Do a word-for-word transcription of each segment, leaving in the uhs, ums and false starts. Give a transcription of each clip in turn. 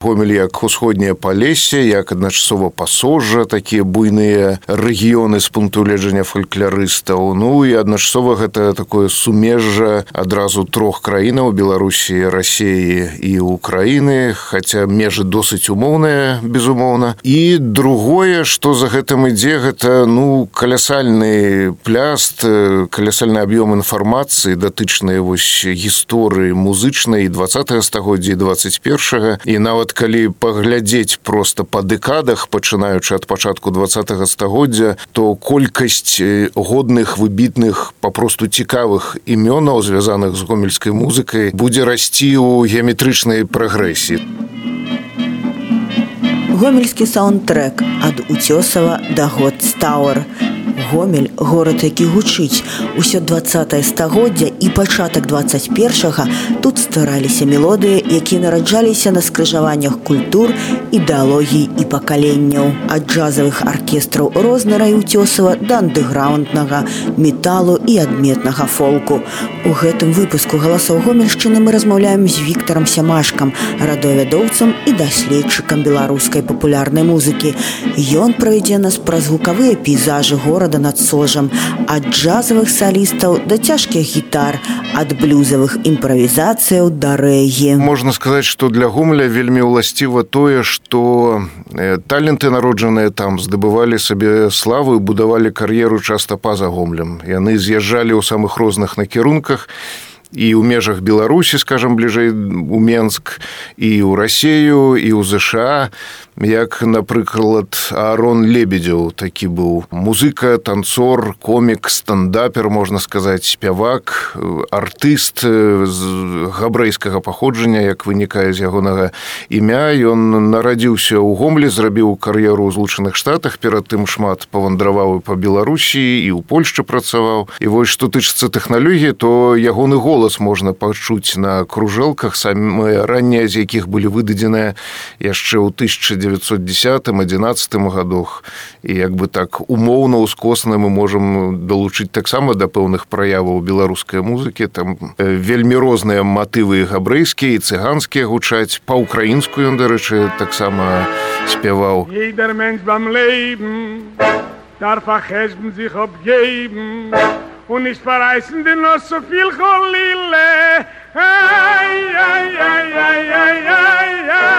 Гомель як усходняе Палессе, як адначасова Пасожжа, такія буйныя рэгіёны з пункту гледжання фалькларыстаў. Ну і адначасова гэта такое сумежжа адразу трох краінаў: Беларусі, Расіі і Украіны, хаця межы досыць умоўныя, безумоўна. І другое, што за гэтым ідзе, гэта ну калясальны пляст, калясальны аб'ём інфармацыі, датычныя вось гісторыі музычнай дваццатага стагоддзя і дваццаць першага. І нават калі паглядзець проста па дэкадах, пачынаючы ад пачатку дваццатага стагоддзя, то колькасць годных, выбітных, папросту цікавых імёнаў, звязаных з гомельскай музыкай, будзе расці ў геаметрычнай прагрэсіі. Гомельскі саундтрэк ад Уцёсава да Годстауэр. Гомель – горад, які гучыць. Усё дваццатае стагоддзя і пачатак дваццаць першага тут ствараліся мелодыі, якія нараджаліся на скрыжаваннях культур, ідэалогій і пакаленняў. Ад джазавых аркестраў Рознера і Уцёсава да андэграўнднага, металу і адметнага фолку. У гэтым выпуску «Галасоў Гомельшчыны» мы размаўляем з Віктарам Сямашкам, радыёвядоўцам і даследчыкам беларускай папулярнай музыкі. Ён правядзе нас праз гукавыя пейзажы горада над Сожам, ад джазавых салістаў да цяжкіх гітар, ад блюзавых імправізацыяў да рэгі. Можна сказаць, што для Гомеля вельмі ўласціва тое, што таленты, народжаныя там, здабывалі сабе славу і будавалі кар'еру часта па-за Гомелем. Яны з'язджалі ў самых розных накірунках, і ў межах Беларусі, скажам, бліжэй у Менск, і ў Расію, і ў ЗША, як, напрыклад, Аарон Лебедзеў такі быў. Музыка, танцор, комік, стандапер, можна сказаць, спявак, артыст з габрэйскага паходжання, як вынікае з ягонага імя. Ён нарадзіўся ў Гомелі, зрабіў кар'еру ў Злучаных Штатах, перад тым шмат павандраваў па Беларусі і ў Польшчы працаваў. І вось што тычыцца тэхналогіі, то ягоны голас можна пачуць на кружэлках, самыя раннія з якіх былі выдадзеныя яшчэ ў тысяча дзевяцьсот дзесятым - адзінаццатым гадах. І як бы так умоўна, ускосна мы можам далучыць таксама да пэўных праяваў беларускай музыкі. Там вельмі розныя матывы габрэйскія і цыганскія гучаць. Па-украінску ён, дарэчы, таксама спяваў. Und nicht verreißen dir noch so viel Cholile. Ay, ay, ay, ay, ay, ay, ay, ay.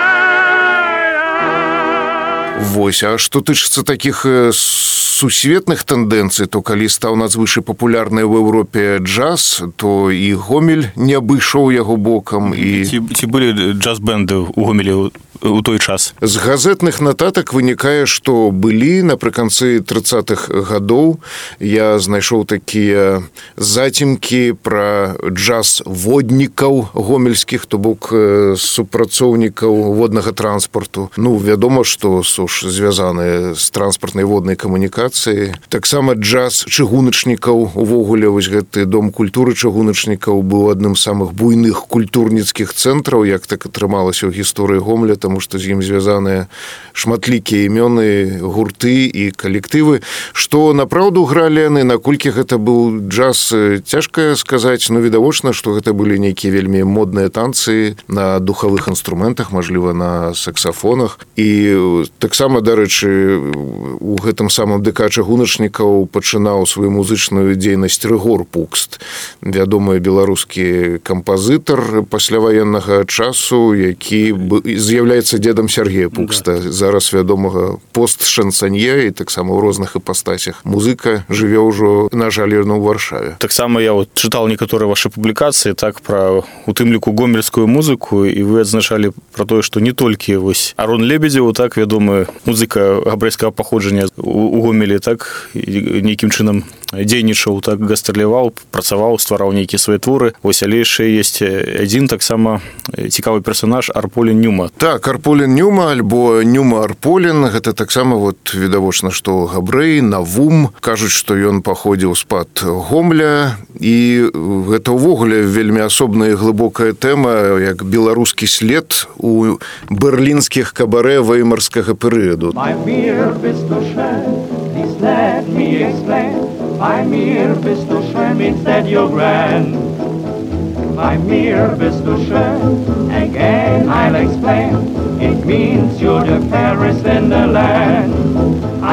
Вось, а што тычыцца такіх сусветных тэндэнцый, то калі стаў надзвычай папулярны ў Еўропе джаз, то і Гомель не абышоў яго бокам. І... Ці, ці былі джаз-бэнды ў Гомелі у той час? З газетных нататак вынікае, што былі напрыканцы трыццатых гадоў. Я знайшоў такія зацімкі пра джаз-воднікаў гомельскіх, то бок супрацоўнікаў воднага транспарту. Ну, вядома, што суш звязаны з транспартнай воднай камунікацыяй. Таксама джаз чыгуначнікаў. Увогуле, вось гэты дом культуры чыгуначнікаў быў адным з самых буйных культурніцкіх цэнтраў, як так атрымалася ў гісторыі Гомеля, таму што з ім звязаныя шматлікія імёны, гурты і калектывы. Што напраўду гралі яны, наколькі гэта быў джаз, цяжка сказаць, но відавочна, што гэта былі нейкія вельмі модныя танцы на духавых інструментах, мажліва, на саксафонах. І таксама, дарэчы, у гэтым самым ДК чыгуначнікаў пачынаў сваю музычную дзейнасць Рыгор Пукст, вядомы беларускі кампазітар пасляваеннага часу, які з'яўляецца дзедам Сергея Пукста, зараз вядомага пост-шансанье і таксама ў розных іпастасях. Музыка жыве ўжо, на жаль, ў Варшаве. Таксама я вот чытаў некаторыя вашы публікацыі, так, пра у тым ліку гомельскую музыку, і вы адзначалі пра тое, што не толькі вось Аарон Лебедзеў, так, вядомы музыка габрэйскага паходжання у Гомелі, так, нейкім чынам дзейнічаў, так, гастраляваў, працаваў, ствараў нейкія свае творы. Вось, але яшчэ ёсць адзін таксама цікавы персанаж Арполін Нюма. Так, Арполін Нюма, альбо Нюма Арполін, гэта таксама вот відавочна, што габрэй, Навум. Кажуць, што ён паходзіў з-пад Гомля, і гэта ўвогуле вельмі асобная і глыбокая тэма, як беларускі след у берлінскіх кабарэ веймарскага перыяду. Bei mir bist du schön, please let me explain. Bei mir bist du schön, means that you're grand. by mir bist du schön. Again I'll explain, it means you're the fairest in the land.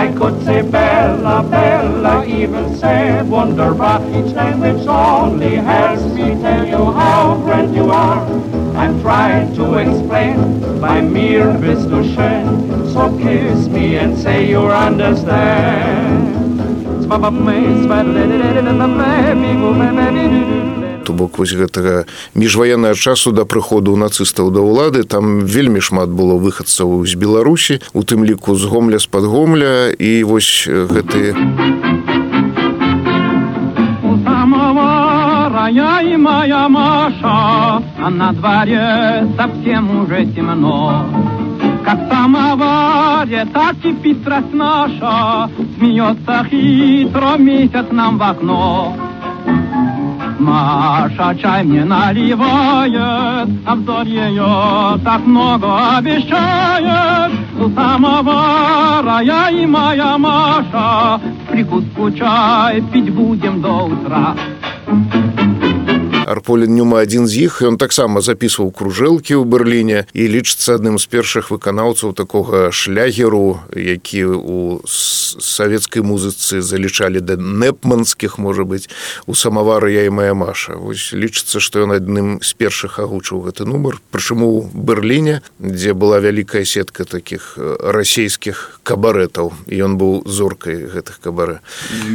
I could say Bella, Bella, even say wunderbar. Each language only helps me tell you how great you are. I'm trying to explain, by mir bist du schön. So kiss me and say you understand. То бок вось гэтага міжваеннага часу да прыходу нацыстаў да ўлады там вельмі шмат было выхадцаў з Беларусі, у тым ліку з Гомля, з-пад Гомля, і вось гэты Я и моя Маша, а на дворе совсем уже темно. Как в самоваре, так кипит страсть наша, смеется хитро месяц нам в окно. Маша чай мне наливает, а взор ее так много обещает. У самовара я и моя Маша, прикуску чай пить будем до утра. Арполін Нюма адзін з іх, ён таксама запісваў кружэлкі ў Берліне і лічыцца адным з першых выканаўцаў такога шлягеру, які ў савецкай музыцы залічалі да непманскіх, можа быць, у самавары я і моя Маша. Вось лічыцца, што ён адным з першых агучыў гэты нумар, прычым у Берліне, дзе была вялікая сетка такіх расійскіх кабарэтаў, і ён быў зоркай гэтых кабарэ.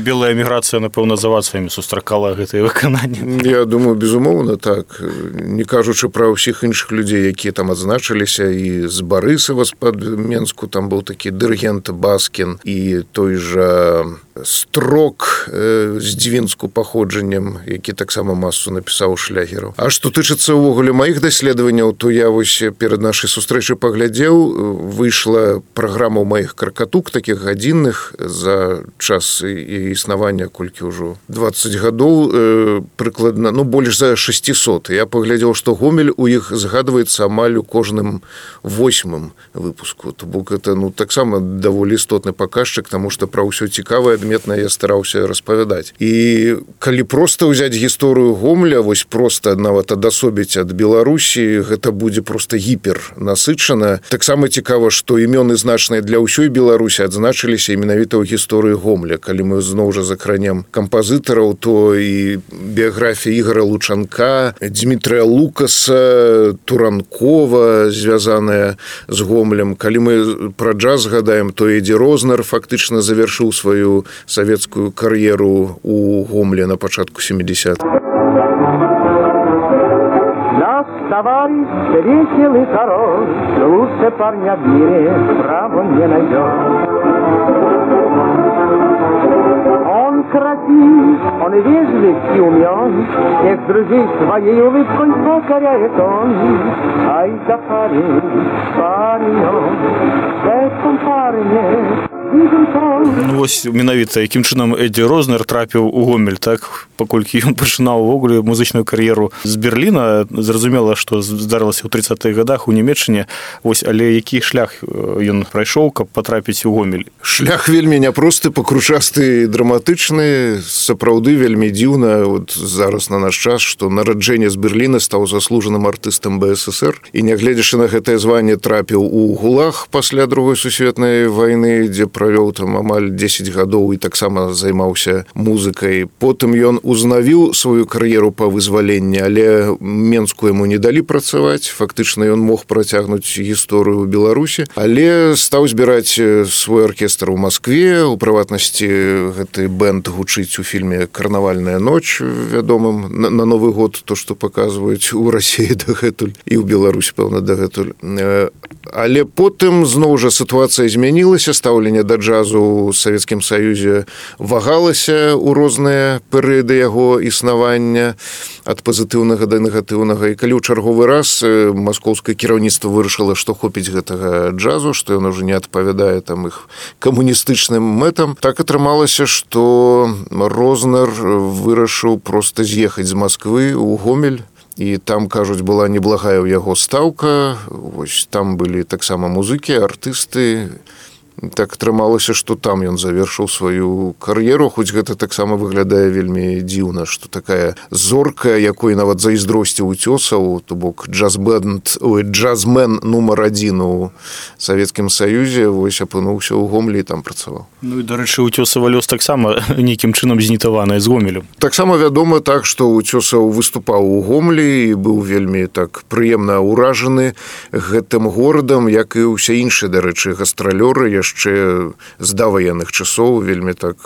Белая эміграцыя, напэўна, з авацыямі сустракала гэтае выкананне. Я думаю, безумоўна, так. Не кажучы пра ўсіх іншых людзей, якія там адзначыліся, і з Барысава, з-пад Менску, там быў такі дырыгент Баскін, і той жа Строк э, з Дзвінску паходжаннем, які таксама масу напісаў шлягераў. А што тычыцца ўвогуле маіх даследаванняў, то я вось перад нашай сустрэчай паглядзеў, выйшла праграма ў маіх каркатук, такіх гадзінных, за час і існавання, колькі ўжо дваццаць гадоў, э, прыкладна, ну, больш за шэсцісот. Я паглядзеў, што Гомель у іх згадваецца амаль у кожным восьмым выпуску. То бок это, ну, таксама даволі істотны паказчык, таму што пра ўсё цікавае адметна я стараўся распавядаць. І калі проста ўзяць гісторыю Гомля, вось проста нават адасобіць ад Беларусі, гэта будзе проста гіпер насычана. Таксама цікава, што імёны значныя для ўсёй Беларусі адзначыліся менавіта ў гісторыі Гомля. Калі мы зноў жа закранем кампазітараў, то і біяграфія Ігора Лучанка, Дмітрыя Лукаса, Туранкова, звязаная з Гомлем. Калі мы пра джаз згадаем, то Эдді Рознер фактычна завяршыў сваю савецкую кар'еру у Гомле на пачатку сямідзесятых. Наш товарищ веселый король, лучше парня в мире право не найдет. Он красив, он вежлив и умен, всех друзей своей улыбкой покоряет он. Ай да парень, парень он, в этом парне. Ну, вось менавіта якім чынам Эдді Рознер трапіў у Гомель, так, паколькі ён пачынаў увогуле музычную кар'еру з Берліна. Зразумела, што здарылася ў трыццатых гадах у Нямецчыне. Вось, але які шлях ён прайшоў, каб патрапіць у Гомель? Шлях вельмі няпросты, пакручасты, драматычны, сапраўды вельмі дзіўна. Вот зараз на наш час, што нараджэнне з Берліна стаў заслужаным артыстам Бэ Эс Эс Эр, і нягледзячы на гэтае званне трапіў у Гулаг пасля другой сусветнай вайны, дзе правёў там амаль дзесяць гадоў і таксама займаўся музыкай. Потым ён узнавіў сваю кар'еру па вызваленні, але Менску яму не далі працаваць. Фактычна ён мог працягнуць гісторыю ў Беларусі, але стаў збіраць свой аркестр у Маскве. У прыватнасці гэты бэнд гучыць у фільме «Карнавальная ноч», вядомым на, на Новы год, то, што паказваюць у Расіі дагэтуль і ў Беларусі, пэўна, дагэтуль. Але потым зноў жа сітуацыя змянілася, стаўленне да джазу ў Савецкім Саюзе вагалася ў розныя перыяды яго існавання ад пазітыўнага да негатыўнага. І калі ў чарговы раз маскоўскае кіраўніцтва вырашыла, што хопіць гэтага джазу, што ён уже не адпавядае там іх камуністычным мэтам, так атрымалася, што Рознер вырашыў проста з'ехаць з Масквы ў Гомель. І там, кажуць, была неблагая ў яго стаўка. Вось там былі таксама музыкі, артысты, так атрымалася, што там ён завершыў сваю кар'еру, хоць гэта таксама выглядае вельмі дзіўна, што такая зорка, якой нават зайздросціў Уцёсаў, то бок джаз-бэнд, ой, джазмен нумар адзін у Савецкім Саюзе, вось апынуўся ў Гомлі і там працаваў. Ну і, дарэчы, Уцёсава лёс таксама нейкім чынам знітаваны з Гомелем. Таксама вядома так, што Уцёсаў выступаў у Гомлі і быў вельмі так прыемна ўражаны гэтым горадам, як і ўсе іншыя, дарэчы, гастралёры яшчэ з даваенных часоў вельмі так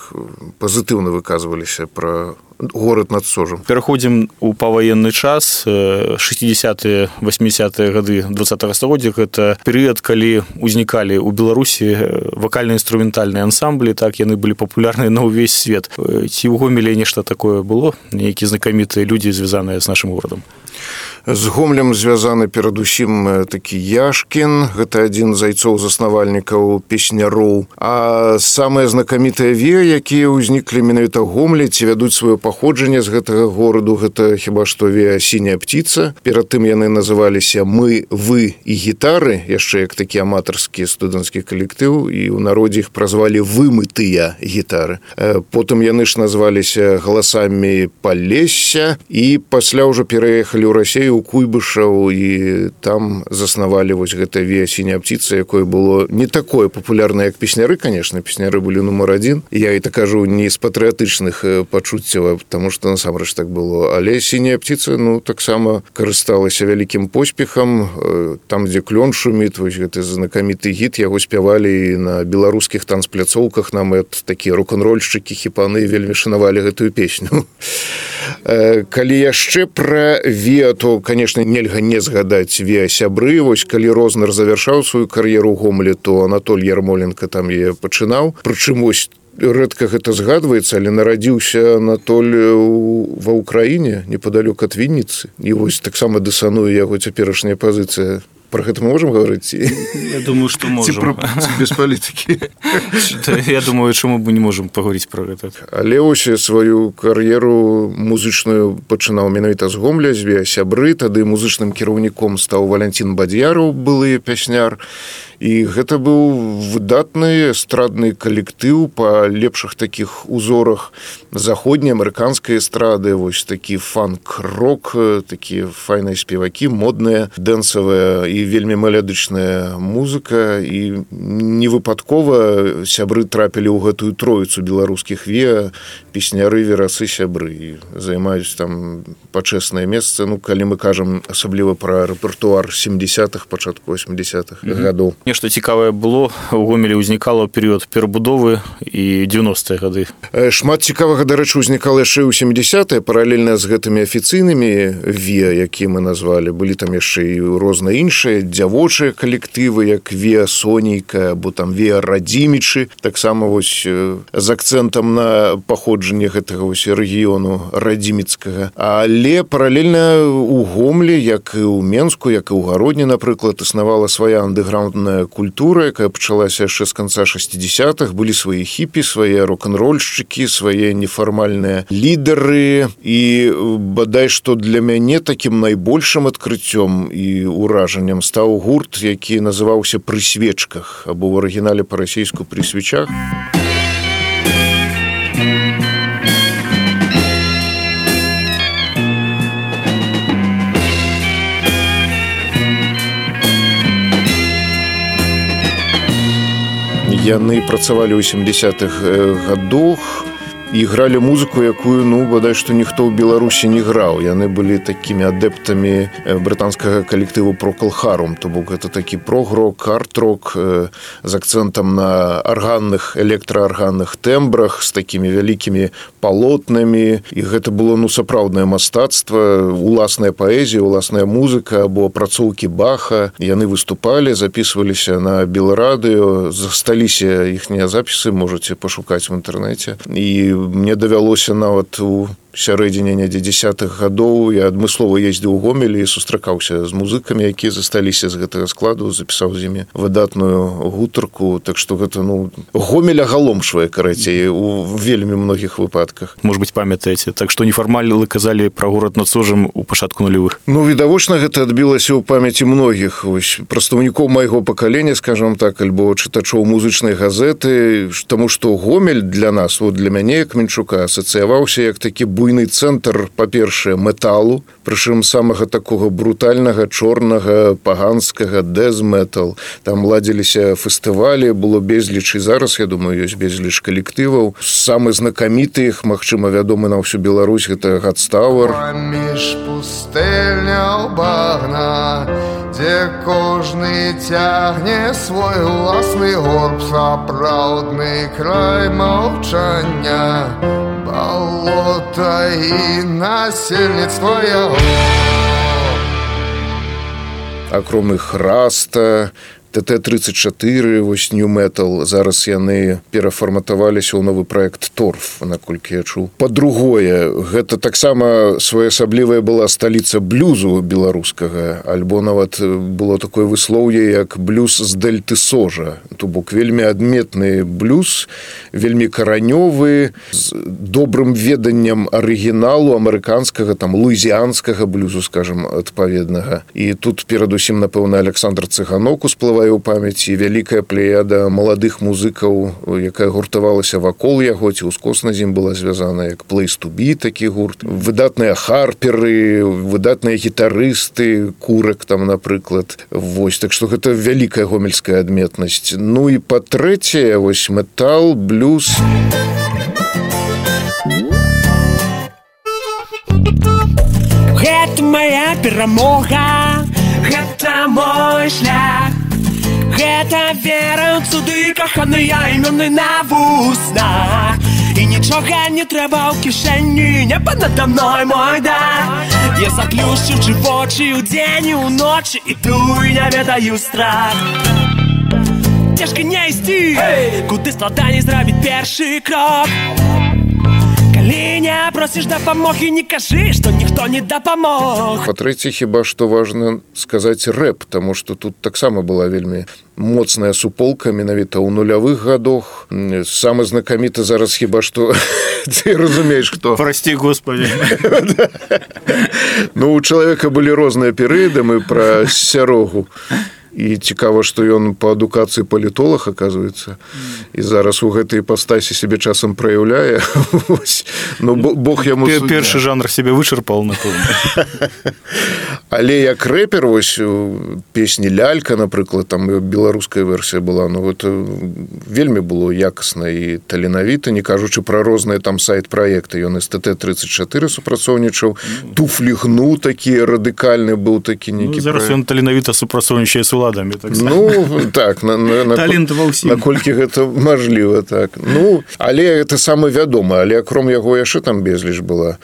пазітыўна выказваліся пра горад над Сожам. Пераходзім у паваенны час. шэсцідзясятыя васьмідзясятыя гады дваццатага стагоддзя гэта перыяд, калі ўзнікалі ў Беларусі вакальна-інструментальныя ансамблі, так яны былі папулярныя на ўвесь свет. Ці ў Гомелі нешта такое было? Нейкія знакамітыя людзі, звязаныя з нашым горадам? З Гомлем звязаны перадусім такі Яшкін, гэта адзін з айцоў-заснавальнікаў песняроў. А самыя знакамітыя вея, якія ўзніклі менавіта Гомлі, ці вядуць сваё паходжанне з гэтага гораду, гэта хіба што вея «Сіняя птица». Перад тым яны называліся «Мы, вы і гітары», яшчэ як такі аматарскі студэнцкі калектыў, і ў народзе іх празвалі «Вымытыя гітары». Потым яны ж назваліся «Галасамі Палесся», і пасля ўжо пераехалі ў Расію, у Куйбышаў, і там заснавалі вось гэта вея «Сіняя птица», якое было не такое папулярнае, як песняры, конечно, песняры былі нумар адзін. Я і так кажу не з патрыятычных пачуццяў, потому што насамрэч так было. Але «Сіняя птица», ну, таксама карысталася вялікім поспехам. Там, дзе клён шуміць, вось гэты знакаміты гіт, яго спявалі на беларускіх танцпляцоўках, нават такія рок-н-рольшчыкі, хіпаны вельмі шанавалі гэтую песню. Калі яшчэ пра вея, то, конечно, нельга не згадаць вея сябры. Вось калі Рознер завяршаў сваю кар'еру ў Гомлі, то Анатоль Ярмоленко там яе пачынаў. Прычым вось рэдка гэта згадваецца, але нарадзіўся Анатоль ва ўкраіне, непадалёк ад Вінніцы. І вось таксама дысануе яго цяперашняя пазіцыя. Про гэта мы можам гаварыць? Я думаю, што можам. Без палітыкі. Я думаю, чаму мы не можам паговорыць пра гэта. Але ось сваю кар'еру музычную пачынаў менавіта з Гомля, з вея сябры. Тады музычным кіраўніком стаў Валянцін Бадзяраў, былы пясняр. І гэта быў выдатны эстрадны калектыў па лепшых такіх узорах заходняй амерыканскай эстрады, вось такі фанк-рок, такія файныя спевакі, модная, дэнсавая і вельмі мелодычная музыка. І невыпадкова сябры трапілі ў гэтую троіцу беларускіх вея, песняры, верасы, сябры. І займаюць там пачэснае месца, ну, калі мы кажам асабліва пра рэпертуар сямдзясятых, пачатку восьмідзясятых mm-hmm. гадоў. Нешта цікавае было, у Гомелі ўзнікала ў перыяд перабудовы і дзевяностыя гады. Шмат цікавага, дарэчы, ўзнікала яшчэ ў сямдзясятыя, паралельна з гэтымі афіцыйнымі вея, якія мы назвалі. Былі там яшчэ і розныя іншыя дзявочыя калектывы, як вея Сонейка, або там вея Радзімічы, таксама вось з акцэнтам на паходжанне гэтага вось рэгіёну радзіміцкага. Але паралельна ў Гомлі, як і ў Менску, як і ў Гародні, напрыклад, існавала свая андэграўндная культура, якая пачалася яшчэ з канца шэсцідзясятых. Былі свае хіпі, свае рок-н-рольшчыкі, свае нефармальныя лідары. І бадай што для мяне такім найбольшым адкрыццём і ўражаннем стаў гурт, які называўся «Пры свечках», або ў арыгінале па-расейску «Пры свечах». Яны працавалі ў сямдзясятых гадах і гралі музыку, якую, ну, бадай што ніхто ў Беларусі не граў. Яны былі такімі адэптамі брытанскага калектыву Procol Harum, то бок гэта такі прог-рок, арт-рок з акцэнтам на арганных, электраарганных тэмбрах, з такімі вялікімі палотнамі. І гэта было, ну, сапраўднае мастацтва, уласная паэзія, уласная музыка або апрацоўкі Баха. Яны выступалі, запісваліся на Белрадыё, засталіся іхнія запісы, можаце пашукаць в інтэрнэце. І мне давялося нават у сярэдзіне недзе дзесятых гадоў я адмыслова ездзіў у Гомель і сустракаўся з музыкамі, якія засталіся з гэтага складу, запісаў з імі выдатную гутарку, так што гэта, ну, Гомель агаломшвае, карацей, у вельмі многіх выпадках. Может быть, памятаеце, так што нефармальна вы казалі пра горад над Сожам у пачатку нулявых? Ну, відавочна, гэта адбілася ў памяці многіх вось прадстаўнікоў майго пакалення, скажам так, альбо чытачоў музычнай газеты, таму што Гомель для нас, вот для мяне, як Менчука, асацыяваўся як такі буйны цэнтр, па-першае, металу, прычым самага такога брутальнага, чорнага, паганскага, дэз-метал. Там ладзіліся фестывалі, было безліч, і зараз, я думаю, ёсць безліч калектываў. Самы знакаміты іх, магчыма, вядомы на ўсю Беларусь, гэта Godstower. Паміж пустэльняў багна, дзе кожны цягне свой уласны горб, сапраўдны край маўчання, балота і насельніцтва яго. Акром іх Раста, тэ тэ тридцать чатыры, вось New Metal, зараз яны перафарматаваліся ў новы праект Торф, наколькі я чуў. Па-другое, гэта таксама своеасаблівая была сталіца блюзу беларускага, альбо нават было такое выслоўе, як блюз з дельты Сожа. То бок вельмі адметны блюз, вельмі каранёвы, з добрым веданнем арыгіналу амерыканскага, там, луізіанскага блюзу, скажем, адпаведнага. І тут перадусім, напэўна, Александр Цыганок усплывае у памяці, вялікая плеяда маладых музыкаў, якая гуртавалася вакол яго, ці ўскосна з ім была звязана, як Place to Be, такі гурт. Выдатныя харперы, выдатныя гітарысты, Курак там, напрыклад. Вось, так што гэта вялікая гомельская адметнасць. Ну і па-трэцяе, вось метал, блюз. Гэта моя перамога, гэта мой шлях. Гэта вера ў цуды, каханыя імёны на вуснах. І нічога не трэба ў кішэні, неба надо мной мой дар. Я заплюшчыўчы вочы ўдзень і ўночы, іду і не ведаю страх. Цяжка не ісці, hey! Куды складаней зрабіць першы крок. Калі не просіш дапамогі, не кажы, што ніхто не дапамог. Па-трэцяе, хіба што важна сказаць рэп, таму што тут таксама была вельмі моцная суполка менавіта ў нулявых гадах. Самы знакаміты зараз хіба што ты разумееш, хто. Прости, Господи. Ну, у чалавека былі розныя перыяды, мы пра Сярогу. І цікава, што ён па адукацыі палітолог, аказваецца, і зараз у гэтай іпастасі сябе часам праяўляе. Ну, Бог яму суддзя. Першы жанр сябе вычарпаў, напэўна. Але як рэпер, вось песні «Лялька», напрыклад, там беларуская версія была, ну, гэта вельмі было якасна і таленавіта, не кажучы пра розныя там сайт-праекты. Ён з тэ тэ тридцать чатыры супрацоўнічаў, «Туфлі гну» такі радыкальны быў такі нейкі праект. Зараз ён таленавіта супрацоўнічае з уладамі. Так ну, так, на, на, на, наколькі гэта мажліва, так. Ну, але гэта самы вядомы, але акром яго яшчэ там безліч была.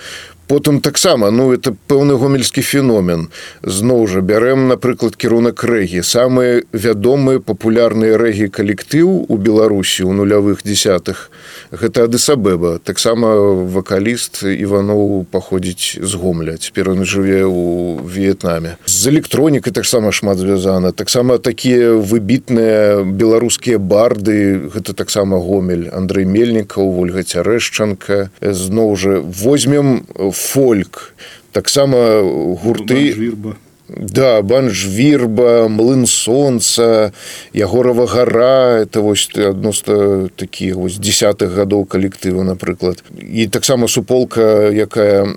Потым таксама, ну, это пэўны гомельскі феномен. Зноў жа, бярэм, напрыклад, кірунак рэгі. Самы вядомы папулярны рэгі-калектыў у Беларусі ў нулявых дзесятых – гэта Адыс Абеба. Таксама вакаліст Іваноў паходзіць з Гомля. Цяпер ён жыве ў В'етнаме. З электронікай таксама шмат звязана. Таксама такія выбітныя беларускія барды, гэта таксама Гомель. Андрэй Мельнікаў, Вольга Цярэшчанка. Зноў жа, возьмем фольк, таксама гурты... Банжвірба. Да, Банжвірба, Млын Сонца, Ягорова гара, это вось адносно такіх вось дзесятых гадоў калектыву, напрыклад. І таксама суполка, якая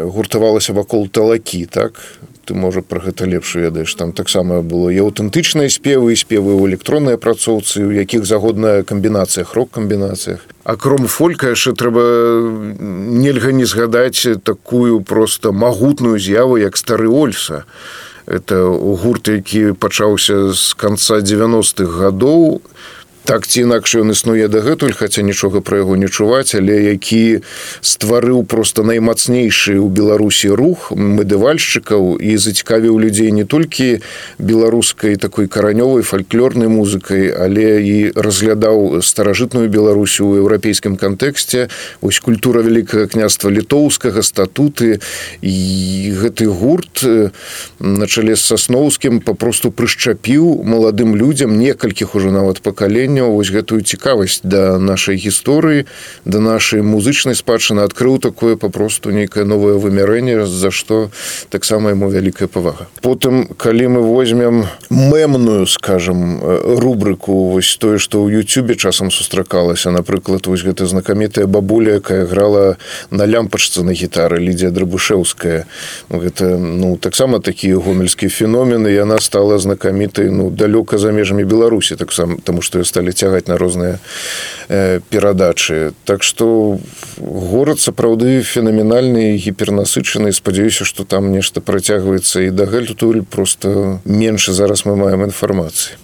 гуртавалася вакол Талакі, так? Ты, можа, пра гэта лепш ведаеш. Там таксама было і аўтэнтычныя спевы, і спевы ў электроннай апрацоўцы, у якіх загодна камбінацыях, рок-камбінацыях. Акром фолька яшчэ трэба нельга не згадаць такую проста магутную з'яву, як Стары Ольса. Это гурт, які пачаўся з канца дзевяностых гадоў. так ці інакш ён існуе дагэтуль, хаця нічога пра яго не чуваць, але які стварыў просто наймацнейшы ў Беларусі рух мэдывальшчыкаў і зацікавіў людзей не толькі беларускай такой каранёвай фальклорнай музыкай, але і разглядаў старажытную Беларусь у еўрапейскім кантэксце, вось культура Вялікага княства літоўскага, статуты, і гэты гурт на чале з Сасноўскім папросту прышчапіў маладым людзям, некалькіх ужо нават пакаленняў, вось гэтую цікавасць да нашай гісторыі, да нашай музычнай спадчыны, адкрыў такое папросту нейкае новае вымярэнне, за што таксама яму вялікая павага. Потым, калі мы возьмем мемную, скажем, рубрыку, вось тое, што ў Ютубе часам сустракалася, напрыклад, вось гэта знакамітая бабуля, якая грала на лямпачцы на гітары, Лідія Драбушэўская. Гэта, ну, таксама такі гомельскі феномен, і яна стала знакамітай, ну, далёка за межамі Беларусі, так сам, таму што ее сталі цягаць на розныя э, перадачы. Так што горад сапраўды фенаменальны, гіпернасычаны, спадзяюся, што там нешта працягваецца і дагэтуль, просто менш зараз мы маем інфармацыі.